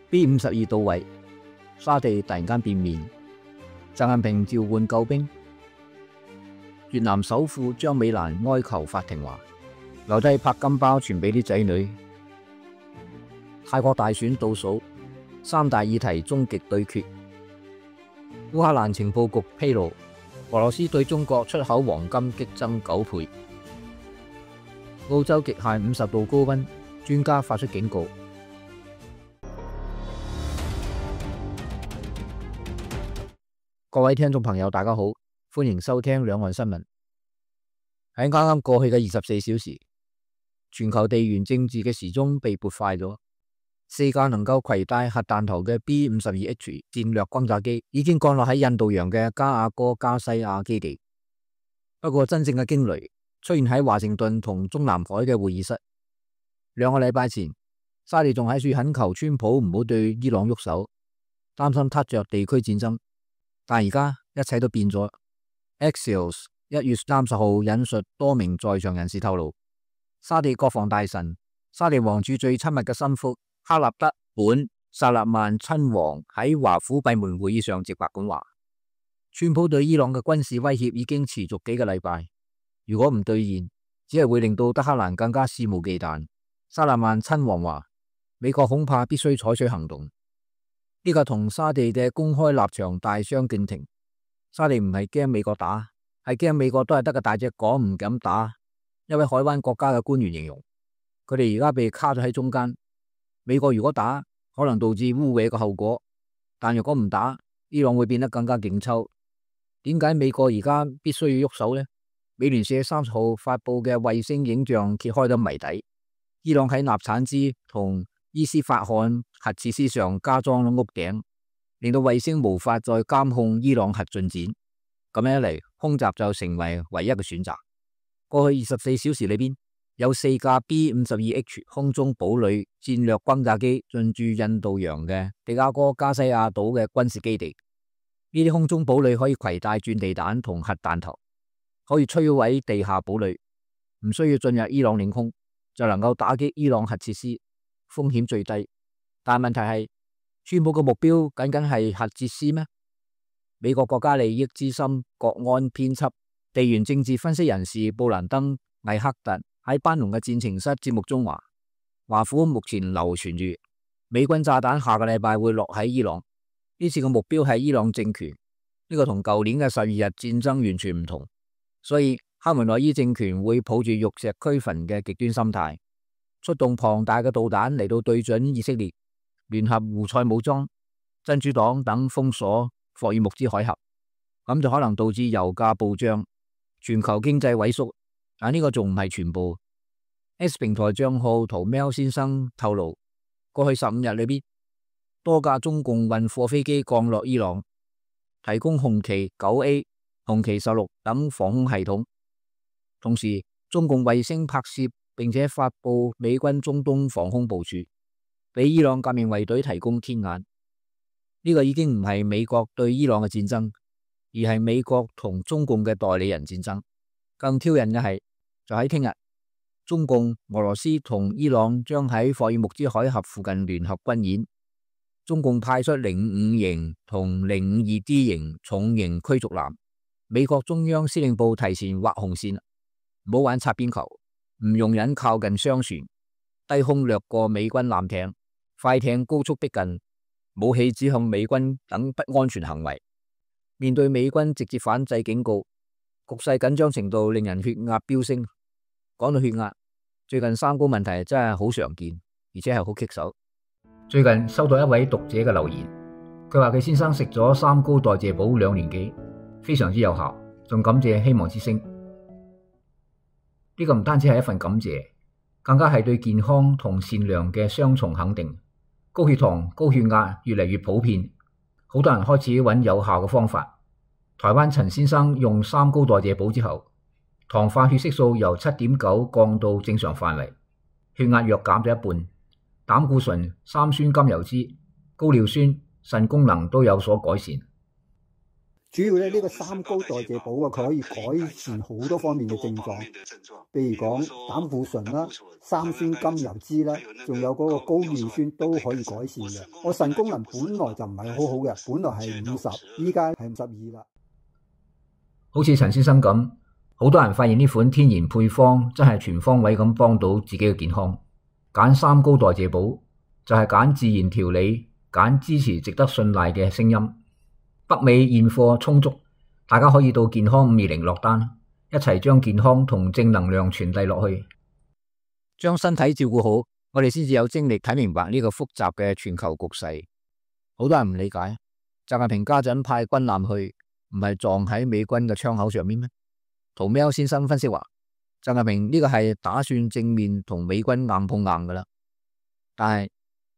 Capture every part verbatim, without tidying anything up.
B 五十二到位，沙地突然間變面，習近平召喚救兵。越南首富張美蘭哀求法庭話，留低拍金包傳俾啲仔女。泰國大選倒數，三大議題終極對決。烏克蘭情報局披露，俄羅斯對中國出口黃金激增九倍。澳洲極限五十度高溫，專家發出警告。各位聽眾朋友，大家好，歡迎收聽兩岸新聞。喺啱啱過去嘅二十四小時，全球地緣政治嘅時鐘被撥快咗。四架能夠攜帶核彈頭嘅 B 五十二 H 戰略轟炸機已經降落喺印度洋嘅加亞哥加西亞基地。不過真正嘅驚雷出現喺華盛頓同中南海嘅會議室。兩個禮拜前，沙地仲喺處懇求川普唔好對伊朗喐手，擔心撻着地區戰爭。但而家一切都變咗。Axios 一月三十號引述多名在場人士透露，沙地國防大臣、沙地王儲最親密嘅心腹哈納德本薩勒曼親王喺華府閉門會議上直白咁話，川普對伊朗嘅軍事威脅已經持續幾個禮拜，如果唔兌現，只係會令到德黑蘭更加肆無忌憚。薩勒曼親王話，美國恐怕必須採取行動。呢個同沙地嘅公開立場大相徑庭。沙地唔係驚美國打，係驚美國都係得個大隻講唔敢打。一位海灣國家嘅官員形容，佢哋而家被卡咗喺中間。美國如果打，可能導致污穢嘅後果；但如果唔打，伊朗會變得更加勁抽。點解美國而家必須要喐手呢？美聯社三十號發佈嘅衛星影像揭開咗謎底。伊朗喺納產茲同伊斯法罕核設施上加裝咗屋頂，令到衛星無法再監控伊朗核進展。咁樣一嚟，空襲就成為唯一嘅選擇。過去二十四小時裏邊，有四架 B 五十二 H 空中堡壘戰略轟炸機進駐印度洋嘅迪亞哥加西亞島嘅軍事基地。呢啲空中堡壘可以攜帶鑽地彈同核彈頭，可以摧毀地下堡壘，唔需要進入伊朗領空就能夠打擊伊朗核設施，風險最低。但問題係，川普嘅目標僅僅係核設施咩？美國國家利益資深國安編輯、地緣政治分析人士布蘭登·艾克特喺班農嘅戰情室節目中話，華府目前流傳住美軍炸彈下個禮拜會落喺伊朗，呢次嘅目標係伊朗政權，呢個同舊年嘅十二日戰爭完全唔同，所以哈梅內伊政權會抱住玉石俱焚嘅極端心態，出動龐大嘅導彈嚟到對準以色列、聯合胡塞武裝、真主黨等，封鎖霍爾木茲海峽，咁就可能導致油價暴漲、全球經濟萎縮。但呢個仲唔係全部。X 平台賬號圖喵先生透露，過去十五日裏邊，多架中共運貨飛機降落伊朗，提供紅旗九 A、紅旗十六等防空系統。同時，中共衛星拍攝並且發布美軍中東防空部署，俾伊朗革命衛隊提供天眼。呢個已經唔係美國對伊朗嘅戰爭，而係美國同中共嘅代理人戰爭。更挑釁嘅係，就喺聽日，中共、俄羅斯同伊朗將喺霍爾木茲海峽附近聯合軍演。中共派出零五型同零五二 D 型重型驅逐艦。美國中央司令部提前畫紅線，唔好玩擦邊球，唔容忍靠近商船，低空掠過美軍艦艇、快艇高速逼近，武器指向美軍等不安全行為。面對美軍直接反制警告，局勢緊張程度令人血壓飆升。講到血壓，最近三高問題真係好常見，而且係好棘手。最近收到一位讀者嘅留言，佢話佢先生食咗三高代謝補兩年幾，非常之有效，仲感謝希望之聲。呢個唔單止係一份感謝，更加係對健康同善良嘅雙重肯定。高血糖、高血壓越嚟越普遍，好多人開始揾有效嘅方法。台灣陳先生用三高代謝補之後，糖化血色素由七點九降到正常範圍，血壓約減咗一半，膽固醇、三酸甘油酯、高尿酸、腎功能都有所改善。主要咧呢個三高代謝寶啊，佢可以改善好多方面嘅症狀，譬如講膽固醇啦、三酸甘油脂啦，仲有嗰個高尿酸都可以改善嘅。我腎功能本來就唔係好好嘅，本來係五十，依家係五十二啦。好似陳先生咁，好多人發現呢款天然配方真係全方位咁幫到自己嘅健康。揀三高代謝寶就係揀自然調理，揀支持值得信賴嘅聲音。北美現貨充足，大家可以到健康五二零落單，一齊將健康同正能量傳遞落去，將身體照顧好，我哋先至有精力睇明白呢個複雜嘅全球局勢。好多人唔理解，習近平家陣派軍艦去，唔係撞喺美軍嘅槍口上面咩？屠喵先生分析話，習近平呢個係打算正面同美軍硬碰硬噶啦。但係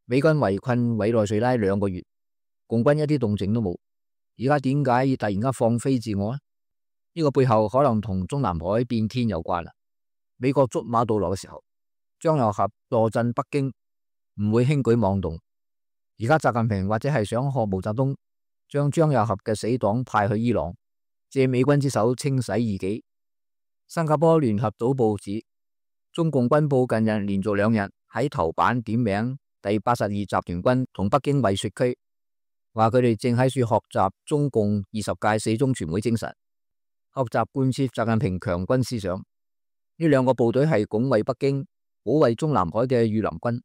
美軍圍困委內瑞拉兩個月，共軍一啲動靜都冇。而家點解要突然間放飛自我呢？呢個背後可能同中南海變天有關啦。美國捉馬杜羅嘅時候，張又俠坐鎮北京，唔會輕舉妄動。而家習近平或者係想學毛澤東，將張又俠嘅死黨派去伊朗，借美軍之手清洗異己。新加坡聯合早報指，中共軍報近日連續兩日喺頭版點名第八十二集團軍同北京衛戍區，話佢哋正喺處學習中共二十屆四中全會精神，學習貫徹習近平強軍思想。呢兩個部隊係拱衛北京、保衛中南海嘅御林軍。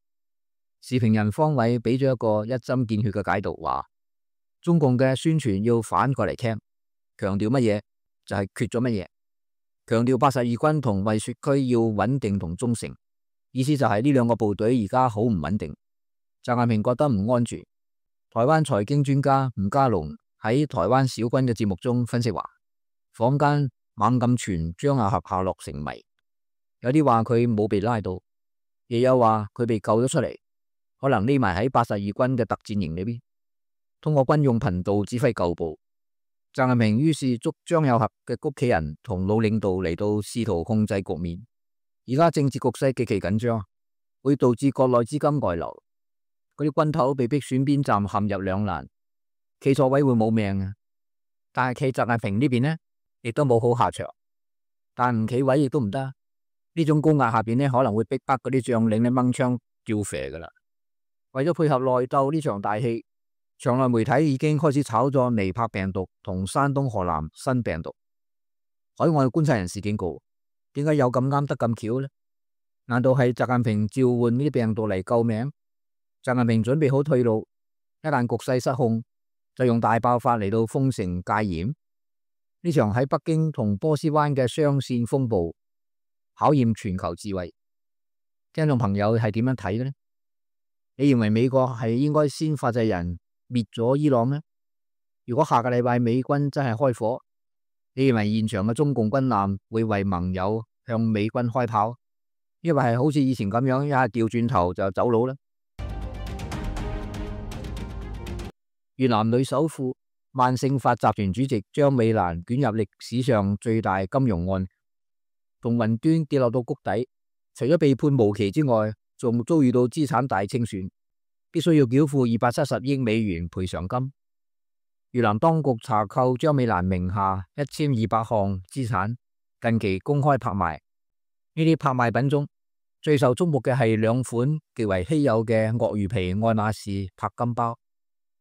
時評人方偉俾咗一個一針見血嘅解讀，話中共嘅宣傳要反過嚟聽，強調乜嘢就係缺咗乜嘢。強調八十二軍同衛戍區要穩定同忠誠，意思就係呢兩個部隊而家好唔穩定。習近平覺得唔安全。台灣財經專家吳家龍喺台灣小軍嘅節目中分析話，坊間猛咁傳張亞俠下落成謎，有啲話佢冇被拉到，亦有話佢被救咗出嚟，可能匿埋喺八十二軍嘅特戰營裏邊，通過軍用頻道指揮舊部。習近平於是捉張又俠嘅屋企人同老領導嚟到試圖控制局面。而家政治局勢極其緊張，會導致國內資金外流。嗰啲軍頭被逼選邊站，陷入兩難，企錯位會冇命啊！但係企習近平呢邊呢，亦都冇好下場。但唔企位亦都唔得，呢種高壓下邊呢，可能會逼迫嗰啲將領呢掹槍叫肥噶啦。為咗配合內鬥呢場大戲，場內媒體已經開始炒作尼泊病毒同山東河南新病毒。海外觀察人士警告，點解有咁啱得咁巧呢？難道係習近平召喚呢啲病毒嚟救命？習近平準備好退路，一旦局勢失控，就用大爆發嚟到封城戒嚴。呢場喺北京同波斯灣嘅雙線風暴，考驗全球智慧。聽眾朋友係點樣睇嘅呢？你認為美國係應該先發制人滅咗伊朗呢？如果下個禮拜美軍真係開火，你認為現場嘅中共軍艦會為盟友向美軍開炮，抑或係好似以前咁樣一下掉轉頭就走佬呢？越南女首富萬盛發集團主席張美蘭捲入歷史上最大金融案，從雲端跌落到谷底，除咗被判無期之外，仲遭遇到資產大清算，必須要繳付二百七十億美元賠償金。越南當局查扣張美蘭名下一千二百項資產，近期公開拍賣。呢啲拍賣品中最受矚目嘅係兩款極為稀有嘅鱷魚皮愛馬仕鉑金包。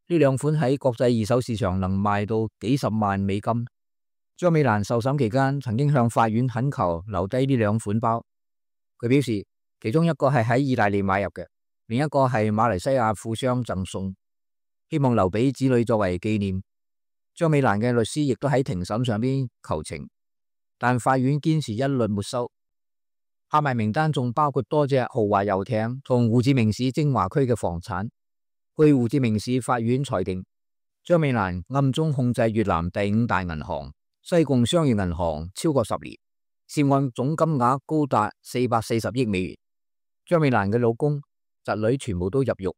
呢兩款喺國際二手市場能賣到幾十萬美金。張美蘭受審期間曾經向法院懇求留低呢兩款包。佢表示，其中一個係喺意大利買入嘅，另一個係馬來西亞富商贈送，希望留俾子女作為紀念。張美蘭嘅律師亦都喺庭審上邊求情，但法院堅持一律沒收。拍賣名單仲包括多隻豪華遊艇同胡志明市精華區嘅房產。據胡志明市法院裁定，張美蘭暗中控制越南第五大銀行西貢商業銀行超過十年，涉案總金額高達四百四十億美元。張美蘭嘅老公、侄女全部都入獄。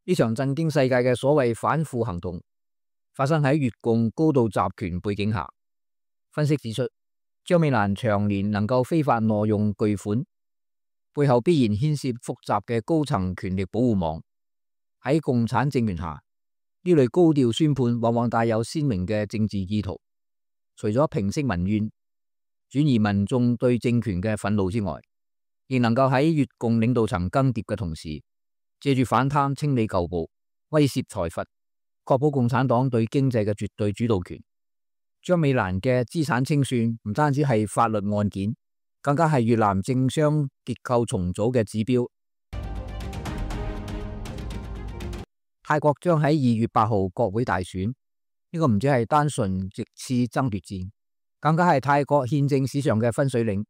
呢場震驚世界嘅所謂反腐行動，發生喺越共高度集權背景下。分析指出，張美蘭長年能夠非法挪用巨款，背後必然牽涉複雜嘅高層權力保護網。喺共產政權下，呢呢類高調宣判往往帶有鮮明嘅政治意圖，除咗平息民怨、轉移民眾對政權嘅憤怒之外，亦能夠喺越共領導層更迭嘅同時，借住反貪清理舊部、威懾財閥，確保共產黨對經濟嘅絕對主導權。張美蘭嘅資產清算唔單止係法律案件，更加係越南政商結構重組嘅指標。泰國將喺二月八號國會大選，呢個唔止係單純席次爭奪戰，更加係泰國憲政史上嘅分水嶺。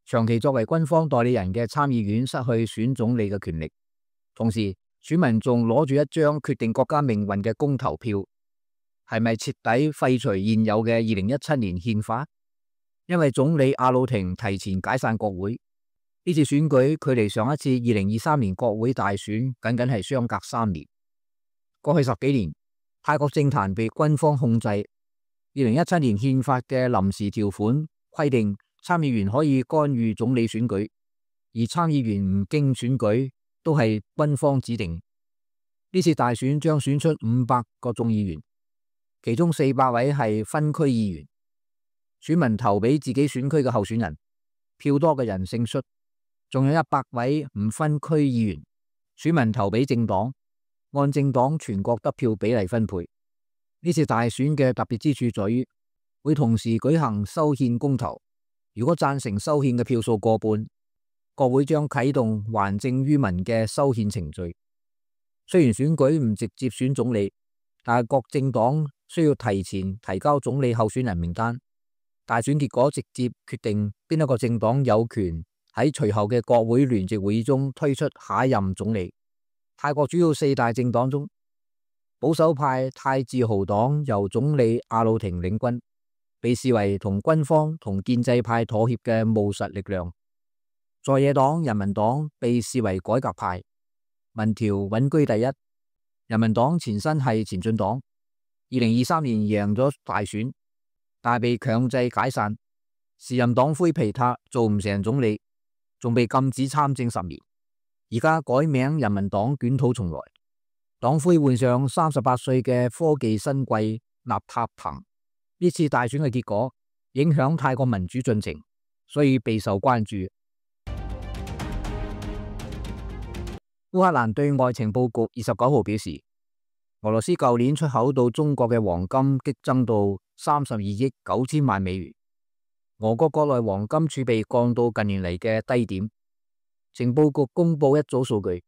長期作為軍方代理人嘅參議院失去選總理嘅權力，同時選民仲攞住一張決定國家命運嘅公投票，係咪徹底廢除現有嘅二零一七年憲法？因為總理阿魯廷提前解散國會，呢次選舉距離上一次二零二三年國會大選僅僅係相隔三年。過去十幾年，泰國政壇被軍方控制。二零一七年憲法嘅臨時條款規定，參議員可以干預總理選舉，而參議員唔經選舉都係軍方指定。呢次大選將選出五百個眾議員，其中四百位係分區議員。選民投俾自己選區嘅候選人，票多嘅人勝出。仲有一百位唔分區議員，選民投俾政黨，按政黨全國得票比例分配。呢次大選嘅特別之處在於，會同時舉行修憲公投。如果贊成修憲嘅票數過半，國會將啟動還政於民嘅修憲程序。雖然選舉唔直接選總理，但係各政黨需要提前提交總理候選人名單。大選結果直接決定邊一個政黨有權喺隨後嘅國會聯席會議中推出下一任總理。泰國主要四大政黨中，保守派泰自豪黨由總理阿魯廷領軍，被視為同軍方同建制派妥協嘅務實力量。在野黨人民黨被視為改革派，民調穩居第一。人民黨前身係前進黨，二零二三年贏咗大選，但係被強制解散。時任黨魁皮塔做唔成總理，仲被禁止參政十年。而家改名人民黨捲土重來，黨魁換上三十八歲嘅科技新貴納塔彭。呢次大選嘅結果影響泰國民主進程，所以備受關注。烏克蘭對外情報局二十九號表示，俄羅斯舊年出口到中國嘅黃金激增到三十二億九千萬美元，俄國國內黃金儲備降到近年嚟嘅低點。情報局公布一組數據，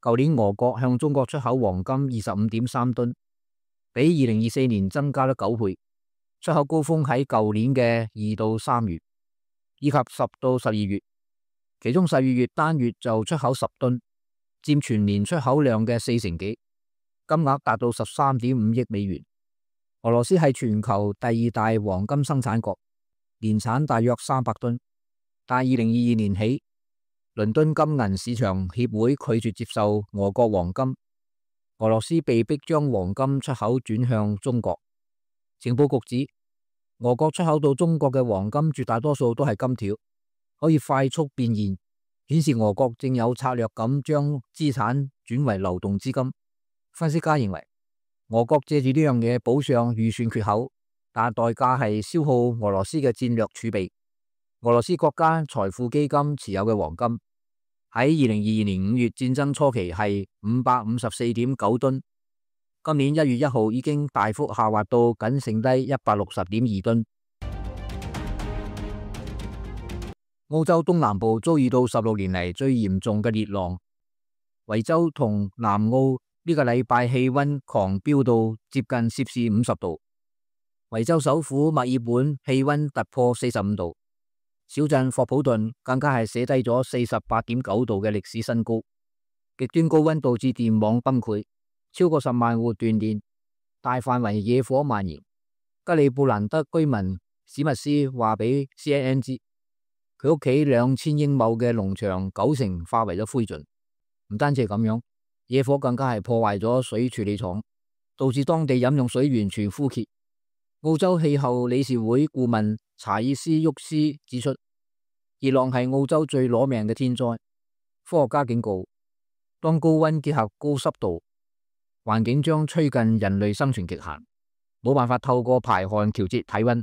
舊年俄國向中國出口黃金二十五點三噸，比二零二四年增加咗九倍。出口高峰喺舊年嘅二到三月，以及十到十二月，其中十二月單月就出口十噸，佔全年出口量嘅四成幾，金額達到十三點五億美元。俄羅斯係全球第二大黃金生產國，年產大約三百噸，但二零二二年起，倫敦金銀市場協會拒絕接受俄國黃金，俄羅斯被迫將黃金出口轉向中國。情報局指，俄國出口到中國嘅黃金絕大多數都係金條，可以快速變現，顯示俄國正有策略咁將資產轉為流動資金。分析家認為，俄國借住呢樣嘢補上預算缺口，但代價係消耗俄羅斯嘅戰略儲備。俄羅斯國家財富基金持有嘅黃金喺二零二二年五月戰爭初期係五百五十四點九噸。今年一月一號已經大幅下滑到僅剩低一百六十點二噸。澳洲東南部遭遇到十六年嚟最嚴重嘅熱浪，維州同南澳呢個禮拜氣溫狂飆到接近攝氏五十度。維州首府墨爾本氣溫突破四十五度，小鎮霍普頓更加係寫低咗四十八點九度嘅歷史新高。極端高溫導致電網崩潰，超過十萬戶斷電，大範圍野火蔓延。吉利布蘭德居民史密斯話俾 C N N 知，佢屋企兩千英畝嘅農場九成化為咗灰燼。唔單止係咁樣，野火更加係破壞咗水處理廠，導致當地飲用水完全枯竭。澳洲氣候理事會顧問查爾斯沃斯指出，熱浪係澳洲最攞命嘅天災。科學家警告，當高溫結合高濕度，環境將趨近人類生存極限，冇辦法透過排汗調節體溫。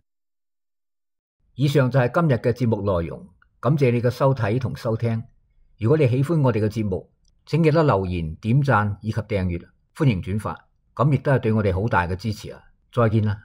以上就係今日嘅節目內容，感謝你嘅收睇同收聽。如果你喜歡我哋嘅節目，請記得留言、點讚以及訂閱，歡迎轉發，咁亦都係對我哋好大嘅支持啊！再見啦！